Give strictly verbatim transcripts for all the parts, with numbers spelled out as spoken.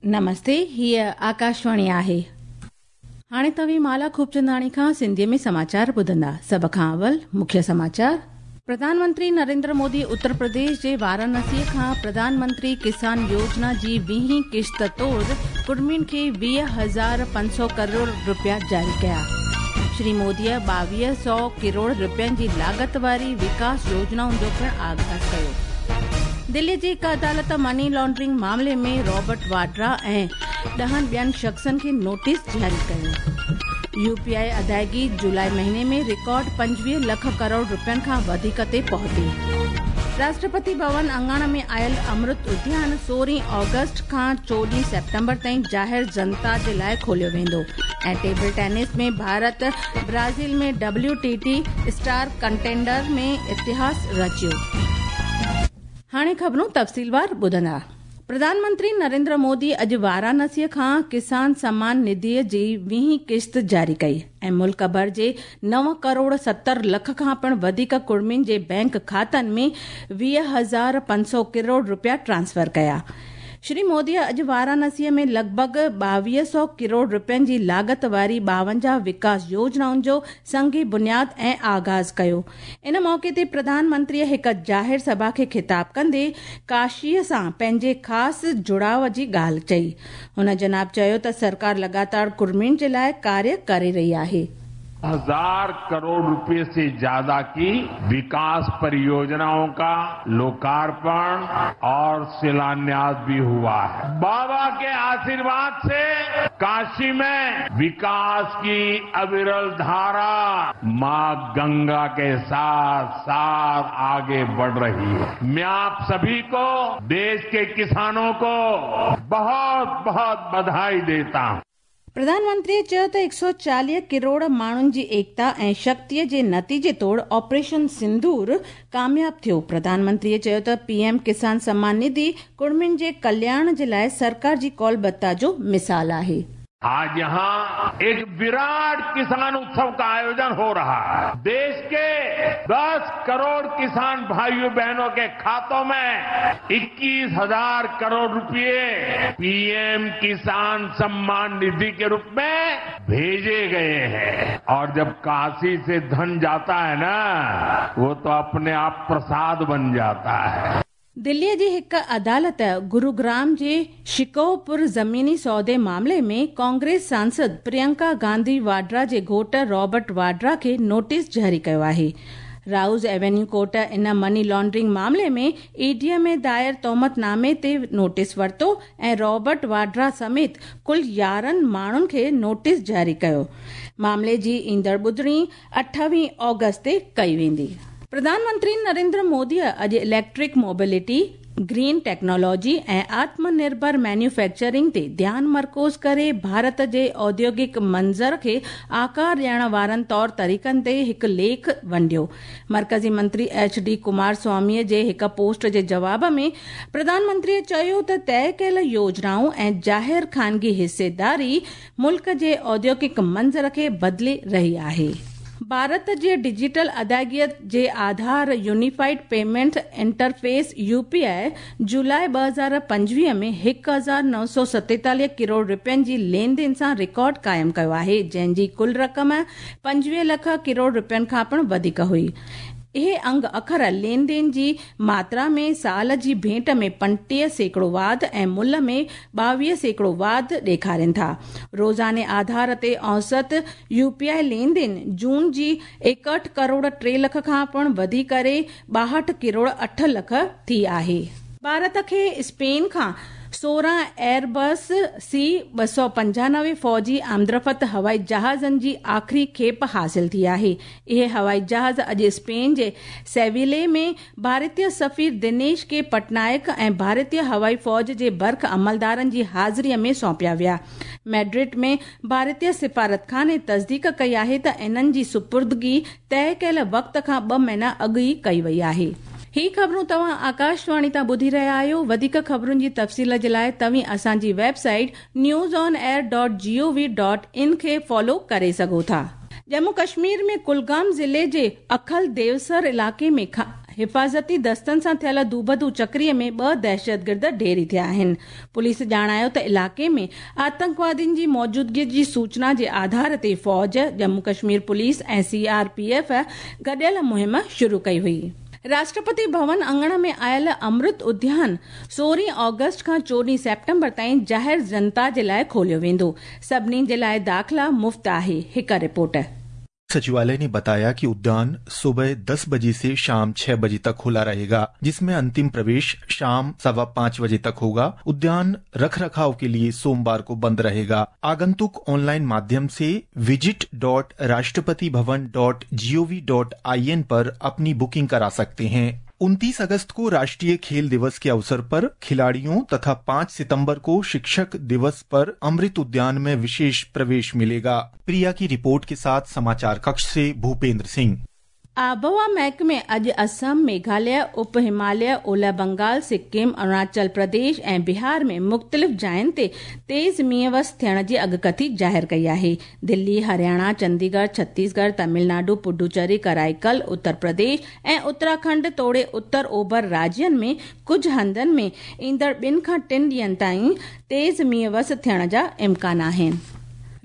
नमस्ते, हीअ आकाशवाणी आहे। हाणे तव्हीं माला खूबचंदाणी खां सिंधीअ में समाचार ॿुधंदा। सभ खां अवल मुख्य समाचार। प्रधानमंत्री नरेंद्र मोदी उत्तर प्रदेश जे वाराणसीअ खां प्रधानमंत्री किसान योजना जी वीहीं किश्त तौर कुर्मियुनि खे वीह हज़ार पंज सौ करोड़ रुपया जारी कया। श्री मोदीअ ॿावीह सौ करोड़ रुपयनि जी लागत वारी विकास योजनाउनि जो पिणु आगाज़ कयो। दिल्ली जी हिकु अदालत मनी लॉन्ड्रिंग मामले में रॉबर्ट वाड्रा ऐं ॾहनि ॿियनि शख़्सनि खे नोटिस जारी कयो। यूपीआई अदायगी जुलाई महीने में रिकॉर्ड पंजवीह लख करोड़ रुपयनि खां वधीक ते पहुती। राष्ट्रपति भवन अंगण में आयल अमृत उद्यान सोरहं ऑगस्ट खां चोॾहं सेप्टेम्बर ताईं ज़ाहिर जनता जे लाइ खोलियो वेंदो। ऐं टेबल टेनिस में भारत ब्राज़ील में W T T star contender में इतिहास रचियो। हाणे ख़बरूं तफ़सीलवार ॿुधंदा। प्रधानमंत्री नरेंद्र मोदी अॼु वाराणसीअ खां किसान सम्मान निधीअ जी वीहीं किश्त जारी कई ऐं मुल्क भर जे नव करोड़ सत्तर लख खां पिणु वधीक कुर्मियुनि जे बैंक खातनि में वीह हज़ार पंज सौ करोड़ रुपया ट्रांसफर कया। श्री मोदीअ अॼु वाराणसीअ में लॻभॻ ॿावीह सौ करोड़ रुपयनि जी लागत वारी ॿावंजाह विकास योजनाउनि जो संगी बुनियाद ऐं आगाज़ कयो। इन मौक़े ते प्रधानमंत्रीअ हिकु ज़ाहिर सभा खे ख़िताब कंदे काशीअ सां पंहिंजे ख़ासि जुड़ाव जी ॻाल्हि चई। हुन जनाब चयो त सरकार लगातार कुर्मियुनि जे लाइ कार्य करे रही आहे। हजार करोड़ रुपए से ज्यादा की विकास परियोजनाओं का लोकार्पण और शिलान्यास भी हुआ है। बाबा के आशीर्वाद से काशी में विकास की अविरल धारा मां गंगा के साथ साथ आगे बढ़ रही है। मैं आप सभी को, देश के किसानों को बहुत बहुत बधाई देता हूं। प्रधानमंत्रीअ चयो त हिकु सौ चालीह करोड़ माण्हुनि जी एकता ऐं शक्तिअ जे नतीजे तौर ऑपरेशन सिंदूर कामयाब थियो। प्रधानमंत्रीअ चयो त पीएम किसान सम्मान निधि कुर्मियुनि जे कल्याण जे लाइ सरकार जी कौलबद्धता जो मिसाल आहे। आज यहाँ एक विराट किसान उत्सव का आयोजन हो रहा है। देश के दस करोड़ किसान भाइयों बहनों के खातों में इक्कीस हजार करोड़ रुपए पीएम किसान सम्मान निधि के रूप में भेजे गए हैं। और जब काशी से धन जाता है ना, वो तो अपने आप प्रसाद बन जाता है। दिल्लीअ जी हिकु अदालत गुरुग्राम जे शिकोहपुर ज़मीनी सौदे मामले में कांग्रेस सांसद प्रियंका गांधी वाड्रा जे घोट रॉबर्ट वाड्रा खे नोटिस जारी कयो आहे। Rouse Avenue court in money laundering मामले में ईडीअ में दायर तोहमतनामे ते नोटिस वरितो ऐं रॉबर्ट वाड्रा समेत कुल यारहं माण्हुनि खे नोटिस जारी कयो। मामले जी ईंदड़ ॿुधणी अठावीह ऑगस्ट ते कई वेंदी। प्रधानमंत्री नरेंद्र मोदीअ अॼु इलेक्ट्रिक मोबिलिटी, ग्रीन टेक्नोलॉजी ऐं आत्मनिर्भर मैन्युफैक्चरिंग ते ध्यानु मरकूज़ करे भारत जे औद्योगिक मंज़र खे आकार ॾियण वारनि तौर तरीक़नि ते हिकु लेख वंडियो। मर्कज़ी मंत्री एच डी कुमार स्वामीअ जे हिकु पोस्ट जे जवाब में प्रधानमंत्रीअ चयो त तय कयल योजनाऊं ऐं ज़ाहिर ख़ानगी हिस्सेदारी मुल्क जे औद्योगिक मंज़र खे बदिले रही आहे। भारत जे डिजिटल अदायगीअ जे आधार यूनिफाइड पेमेंट इंटरफेस यूपीआई जुलाई ॿ हज़ार पंजवीह में हिकु हज़ार नव सौ सतेतालीह करोड़ रुपयनि जी लेन then सां रिकॉर्ड क़ाइमु कयो आहे, जंहिंजी कुल रक़म पंजवीह लख करोड़ रुपयनि खां पिणु वधीक हुई। इहे अंग अखर लेन then जी मात्रा में साल जी भेंट में पंटीह सैकड़ो वाध ऐं मुल्ह में ॿावीह सैकड़ो वाध ॾेखारनि था। रोज़ाने आधार ते औसत यूपीआई लेन then जून जी एकहठि करोड़ टे लख खां पिणु वधी करे ॿाहठि करोड़ अठ लख थी आहे। भारत खे स्पेन खां सोरहं एयरबस सी ॿ सौ पंजानवे फ़ौजी आमदरफ़्त हवाई जहाज़नि जी आख़िरी खेप हासिल थी आहे। इहे हवाई जहाज़ अॼु स्पेन जे सेविले में भारतीय सफ़ीर दिनेश के पटनायक ऐं भारतीय हवाई फ़ौज जे बर्ख अमलदारनि जी हाज़िरीअ में सौंपिया विया। मैड्रिड में भारतीय सिफारतखाने तस्दीक कई आहे त इन्हनि जी सुपुर्दगी तय कयल वक़्त खां ॿ महीना अॻु ई कई वई आहे। ही ख़बरूं तव्हां आकाशवाणी तां ॿुधी रहिया आहियो। वधीक ख़बरुनि जी तफ़सील जे लाइ तव्हीं असांजी website news on air dot G O V dot in खे फॉलो करे सघो था। जम्मू कश्मीर में कुलगाम ज़िले जे अखल देवसर इलाइक़े में हिफ़ाज़ती दस्तनि सां थियल दूबदू चकरीअ में ॿ दहशतगर्द ढेरी थिया आहिनि। पुलिस ॼाणायो त इलाइक़े में आतंकवादियुनि जी मौजूदगीअ जी सूचना जे आधार ते फ़ौज, जम्मू कश्मीर पुलिस ऐं सी आर पी एफ गॾियल मुहिम शुरू कई हुई। राष्ट्रपति भवन आंगण में आयल अमृत उद्यान सोरहं ऑगस्ट खां चोॾहं सेप्टेम्बर ताईं ज़ाहिर जनता जे लाइ खोलियो वेंदो। सभिनी जे लाइ दाख़िला मुफ़्त आहे। हिकु रिपोर्ट। सचिवालय ने बताया कि उद्यान सुबह दस बजे से शाम छह बजे तक खुला रहेगा, जिसमें अंतिम प्रवेश शाम सवा पाँच बजे तक होगा। उद्यान रखरखाव के लिए सोमवार को बंद रहेगा। आगंतुक ऑनलाइन माध्यम से visit dot Rashtrapati Bhavan dot G O V dot I N पर अपनी बुकिंग करा सकते हैं। उनतीस अगस्त को राष्ट्रीय खेल दिवस के अवसर पर खिलाड़ियों तथा पाँच सितंबर को शिक्षक दिवस पर अमृत उद्यान में विशेष प्रवेश मिलेगा। प्रिया की रिपोर्ट के साथ समाचार कक्ष से भूपेंद्र सिंह। आबहवा महकमे अॼु असम, मेघालय, उप हिमालय, ओलह बंगाल, सिक्किम, अरुणाचल प्रदेश ऐं बिहार में मुख़्तलिफ़ जायुनि ते तेज़ मींहुं वस थियण जी अॻकथी ज़ाहिर कई आहे। दिल्ली, हरियाणा, चंडीगढ़, छत्तीसगढ़, तमिलनाडु, पुडुचेरी, कराईकल, उत्तर प्रदेश ऐं उत्तराखंड तोड़े उत्तर ओभर राज्यनि में कुझु हंधनि में ईंदड़ ॿिनि खां टिनि ॾींहंनि ताईं तेज़ मींहुं वस थियण जा इम्कान आहिनि।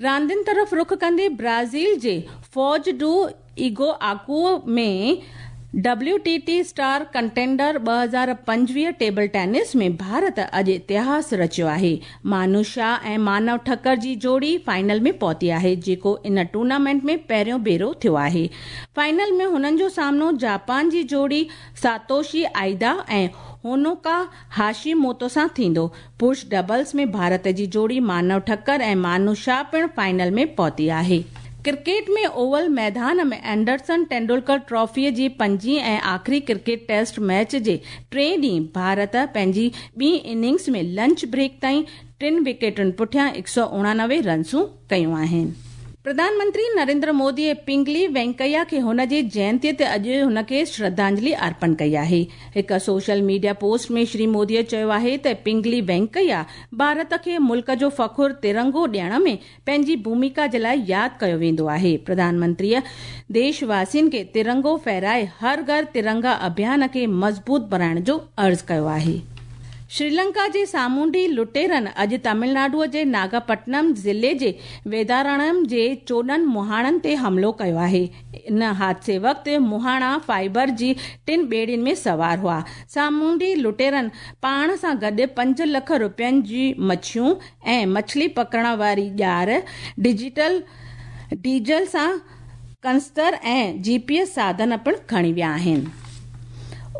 रांदियुनि तरफ़ रुख कंदे Brazil J Foz do Iguacu में W T T star contender ॿ हज़ार पंजवीह टेबल टेनिस में भारत अॼु इतिहास रचियो आहे। मानू शाह ऐं मानव ठक्कर जी जोड़ी फाइनल में पहुती आहे, जेको इन टूर्नामेंट में पहिरियों भेरो थियो आहे। फाइनल में हुननि जो सामनो जापान जी जोड़ी सातोशी आइदा ऐं होनोका हाशीमोतो सां थींदो। पुरुष डबल्स में भारत जी जोड़ी मानव ठक्कर ऐं मानू शाह पिणु फाइनल में पहुती आहे। क्रिकेट में ओवल मैदान में एंडरसन तेंदुलकर ट्रॉफीअ जी पंजीं ऐं आख़िरी क्रिकेट टेस्ट मैच जे टे ॾींहुं भारत पंहिंजी ॿी इनिंग्स में लंच ब्रेक ताईं टिनि विकेटुनि पुठियां हिकु सौ उणानवे रनसूं कयूं आहिनि। प्रधानमंत्री नरेंद्र मोदी पिंगली वेंकैया खे हुन जे जयंतीअ ते अॼु हुन खे श्रद्धांजलि अर्पण कई आहे। हिकु सोशल मीडिया पोस्ट में श्री मोदीअ चयो आहे त पिंगली वेंकैया भारत खे मुल्क जो फ़ख़ुर तिरंगो ॾियण में पंहिंजी भूमिका जे लाइ यादि कयो वेंदो आहे। प्रधानमंत्रीअ देशवासियुनि खे तिरंगो फहराए हर घर तिरंगा अभियान खे मज़बूत बणाइण जो अर्ज़ु कयो आहे। श्रीलंका जे सामुंडी लुटेरनि अॼु तमिलनाडुअ जे नागापट्टनम ज़िले जे वेदारणम जे चोॾहं मुहाणनि ते हमलो कयो आहे। इन हादसे वक़्तु मुहाणा फाइबर जी टिनि ॿेड़ियुनि में सवार हुआ। सामुंडी लुटेरनि पाण सां गॾु पंज लख रुपयनि जी मच्छियूं ऐं मछली पकड़ण वारी ॼार, डिजिटल डीजल सां कंस्तर ऐं जी पी एस साधन पिणु खणी विया आहिनि।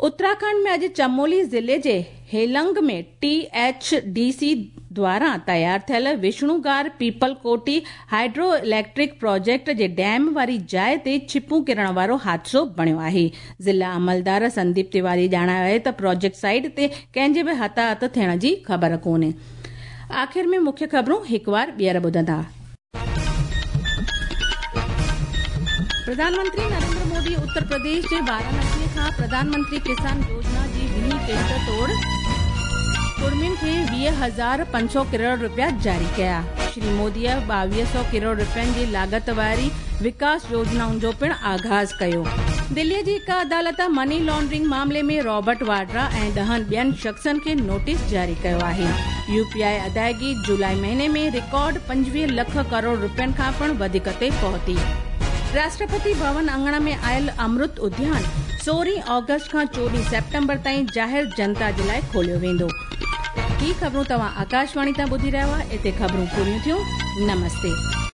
उत्तराखंड में अॼु चमोली ज़िले जे हेलंग में टी एच डी सी द्वारा तयार थियल Vishnugad Pipalkoti hydro electric project जे डैम वारी जाइ ते छिपूं किरण वारो हादसो बणियो आहे। ज़िला अमलदार संदीप तिवारी ॼाणायो आहे त प्रोजेक्ट साइट ते कंहिंजे बि हताहत थियण जी ख़बर कोन्हे। आख़िर में मुख्य ख़बरूं हिकु वार ॿीहर ॿुधंदा। प्रधानमंत्री नरेंद्र मोदी उत्तर प्रदेश जे वाराणसी खां प्रधानमंत्री किसान योजना जी वीह किस्त तौर कुर्मियुनि खे वीह हज़ार पंज सौ करोड़ रुपया जारी कया। श्री मोदीअ ॿावीह सौ करोड़ रुपयनि जी लागत वारी विकास योजनाउनि जो पिणु आगाज़ कयो। दिल्लीअ जी हिकु अदालत मनी लॉन्ड्रिंग मामले में रॉबर्ट वाड्रा ऐं ॾहनि ॿियनि शख़्सनि खे नोटिस जारी कयो आहे। यू पी I अदायगी जुलाई महीने में रिकॉर्ड पंजवीह लख करोड़ रुपयनि खां पिणु वधीक ते पहुती। राष्ट्रपति भवन आंगण में आयल अमृत उद्यान सोरहं ऑगस्ट खां चोॾहं सेप्टेम्बर ताईं ज़ाहिर जनता जे लाइ खोलियो वेंदो। ही ख़बरूं तव्हां आकाशवाणी तां ॿुधी रहिया हुआ। हिते ख़बरूं पूरियूं थियूं। नमस्ते।